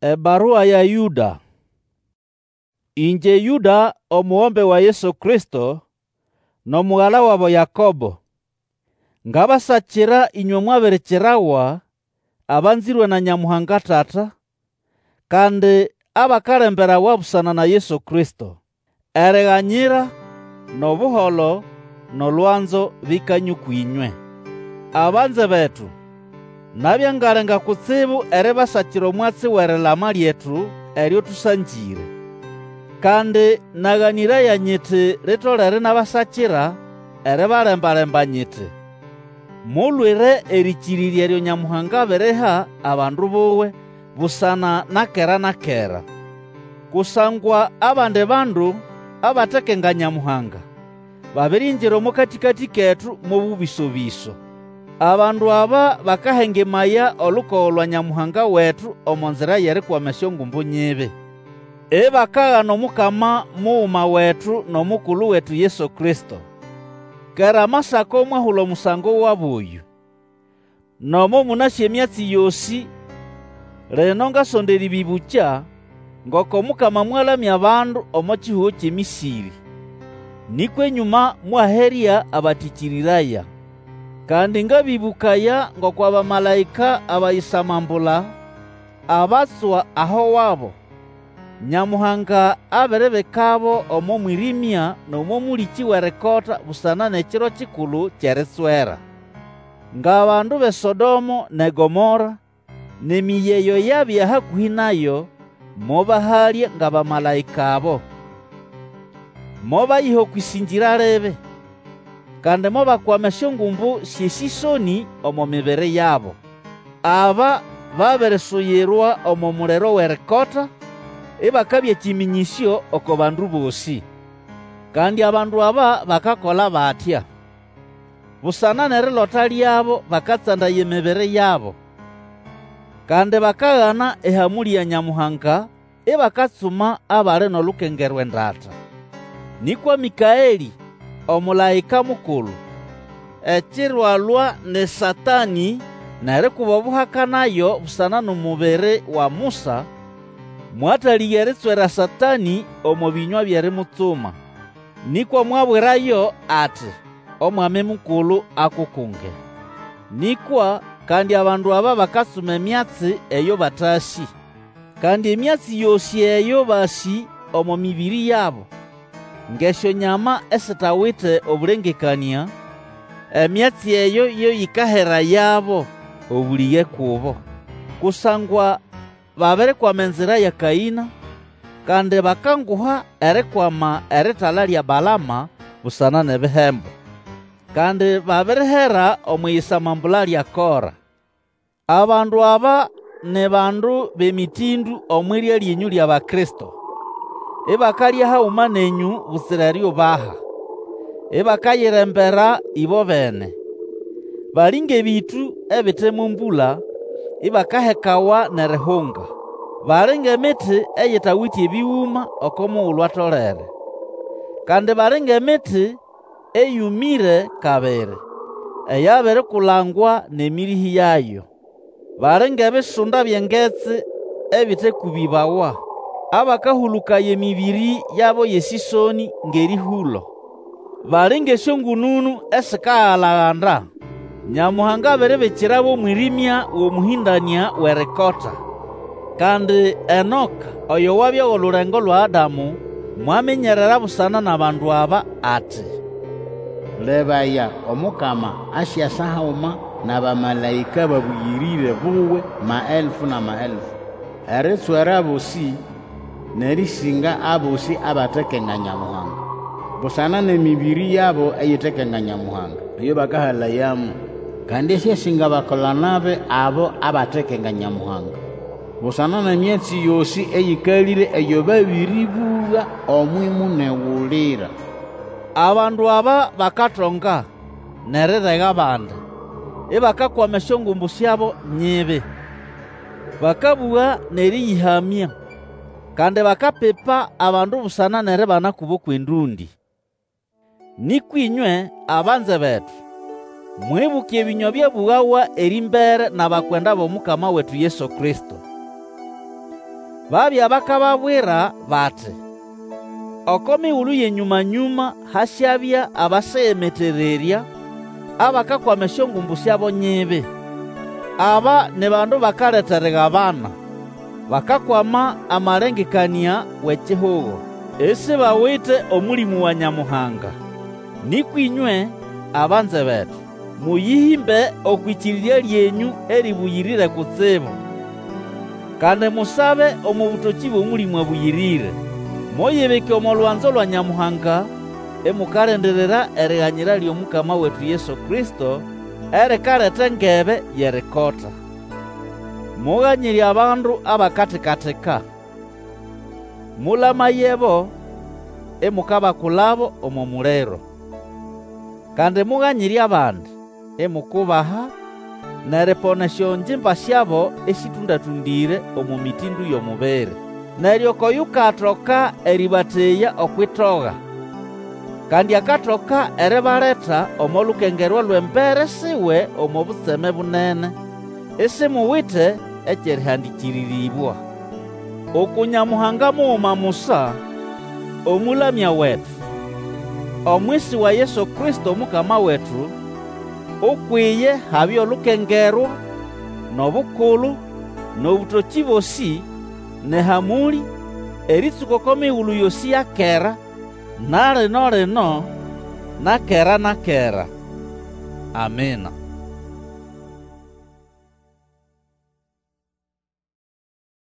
Ebarua ya Yũda. Ĩngye Yũda, omugombe wa Yesu Kristo, n'omugala wabo Yakobo, ngabasakira ĩnywe mwabirikirawa, abanzĩrwe na Nyamuhanga Tata, kandi abakalemberawa busana na Yesu Kristo. Eriganyira, n'obuholo, n'olwanzo bikanye ũkw'ĩnywe. Abanze betu, nabya ngalenga kutsibu eribasakira omwatsi w'erilama lyetu eryo tũsangĩre. Kandi naganĩraya nyiti litolere inabasakira eribalemba-lemba nyiti, Mulwire erĩkĩrĩrya eryo Nyamuhanga abiriha abandu buwe busana na kera na kera. Kusangwa abandi bandu abatekenga Nyamuhanga, babiringira omo katĩkatĩ ketu mo bũbĩso-bĩso. Abandu aba bakahengemaya olukogo lwa Nyamuhanga wetu omo nzira y'erikwama esyongumbu nyibi. Ibakagana Omukama muguma wetu n'omukulu wetu Yesu Kristo. Kera Amasako mwahula omusango wabo oyũ. Nomo mũnasĩ emyatsi yosĩ, lino ngasonda erĩbĩbũkya ngoko Omukama mwalamya abandu omo kihugo ky'eMĩsĩrĩ. Nĩkwa enyũma mwaherya abatĩkĩrĩraya. Kandi ngabĩbũkaya ngoko abamalaĩka abayisamambula, abatswa aho wabo, Nyamuhanga abiribikabo omo mwĩrĩmya n'omo mũlĩkĩ w'erikota busana n'ekiro kikulu ky'eritswera. Ng'abandu b'eSodomo n'eGomora, n'emĩyĩ eyo yabya hakũhĩ nayo, mobahalya ng'abamalaĩka abo. Mobayiha okw'ĩsĩngĩra libi, kandi mobakwama esyongumbu sy'esĩsonĩ omo mibiri yabo. Aba babirisuyirwa omo muliro w'erikota, ibakabya kĩmĩnyĩsyo oko bandu bosĩ. Kandi abandu aba bakakola batya, busana n'erilota lyabo bakatsandaya emibiri yabo. Kandi bakagana ehamũlĩ ya Nyamuhanga, ibakatsuma abali n'olukengerwa endata. Nĩkwa Mĩkaelĩ, omũlaĩka mukulu, ekiro alwa n'eSatanĩ n'erikuba obuhaka nayo busana n'omubiri wa Musa, mwatalĩga eritswera Satanĩ omo bĩnywa by'erimutsuma. Nĩkwa mwabwirayo ati, Omwami Mukulu akukunge. Nĩkwa kandi abandu aba bakatsuma emyatsi eyo batasĩ. Kandi emyatsi yosĩ eyo basĩ omo mĩbĩrĩ yabo, ng'esyonyama esitawite obũlengekanĩa, emyatsi eyo yo yĩkaherayabo obũlĩge kubo. Kusangwa babirikwama enzira ya Kaĩna, kandi bakanguha erikwama eritala lya Balama busana n'ebihembo. Kandi babirihera omw'iyisamambula lya Kora. Abandu aba ni bandu b'emĩtĩndũ omw'irya lyenyũ ly'Abakristo, ibakalya haguma nenyũ butsira eriubaha, ibakayirembera ĩbobene. Bali ng'ebĩtũ ebite mo mbũla, ibakahekawa n'erihunga. Bali ng'emiti eyitawite ebĩgũma oko mugulu atolere. Kandi bali ng'emiti eyũmĩre kabiri, eyabirikulangwa n'emĩrĩhĩ yayo. Bali ng'ebisunda by'engetsi ebitekũbĩbawa, abakahũlũkaya emĩbĩrĩ yabo y'esĩsonĩ ng'erĩhũlo. Bali ng'esyongũnũnũ esikagala-ganda. Nyamuhanga abiribikirabo omwĩrĩmya w'omũhĩndanĩa w'erikota. Kandi Enoka, oyo wabya w'olulengo lwa Adamu, mwaminyerera busana n'abandu aba ati, Lebaya, Omukama asyasa haguma n'abamalaĩka babũyĩrĩre buwe maelfu n'amaelfu, eritswera abosĩ n'erĩsĩnga abosĩ abatekenga Nyamuhanga, busana n'emĩbĩrĩ yabo eyitekenga Nyamuhanga, eyo bakahalayamo. Kandi asyasinga abakola-nabi abo abatekenga Nyamuhanga, busana n'emyatsi yosĩ eyĩkalĩre eyo babĩrĩbũga omw'imunegulira. Abandu aba bakatonga, n'erirega abandi, ibakakwama esyongumbu syabo nyibi. Bakabũga n'erĩyĩhamya, kandi bakapipa abandu busana n'eribana kubo kw'endũndĩ. Nĩkwa ĩnywe, abanze betu, mwibuke ebĩnywa byabũgawa erĩmbere n'abakwenda b'Omukama wetu Yesu Kristo. Babya bakababwira bati, Oko migulu y'enyũma-nyũma hasyabya abasigimitererya, abakakwama esyongumbu syabo nyibi. Aba ni bandu bakaleta erigabana, bakakwama amalengekanĩa w'ekihugo, isibawite Omũlĩmũ wa Nyamuhanga. Nĩkwa ĩnywe, abanze betu, mũyĩhĩmbe okw'ĩkĩrĩrya lyenyũ erĩbũyĩrĩre kutsibu. Kandi musabe omo bũtokĩ bw'Omũlĩmũ Abũyĩrĩre. Muyibike omo lwanzo lwa Nyamuhanga, imukalindirira eriganyira ly'Omukama wetu Yesu Kristo, erikaleta engebe y'erikota. Muganyire abandu abakatikatika. Mũlamayebo, imukabakulabo omo muliro. Kandi muganyire abandi, imukubaha, n'eripona esyongimba syabo esĩtũndatũndĩre omo mĩtĩndũ y'omubiri. Neryo oko yukatoka erĩbateya okw'itoga, kandi akatoka eribaleta omo lukengerwa lw'embere siwe omo butseme bunene, isimuwite eky'erĩhandĩkĩrĩrĩbwa. Uku Nyamuhanga muguma musa, Omũlamya wetu, omwisi wa Yesu Kristo Omukama wetu, ukwiye habye olukengerwa, n'obukulu, n'obũtokĩ bosĩ, n'ehamũlĩ, erĩtsũka oko migulu yosĩ ya kera, na lino-lino, na kera na kera. Amina.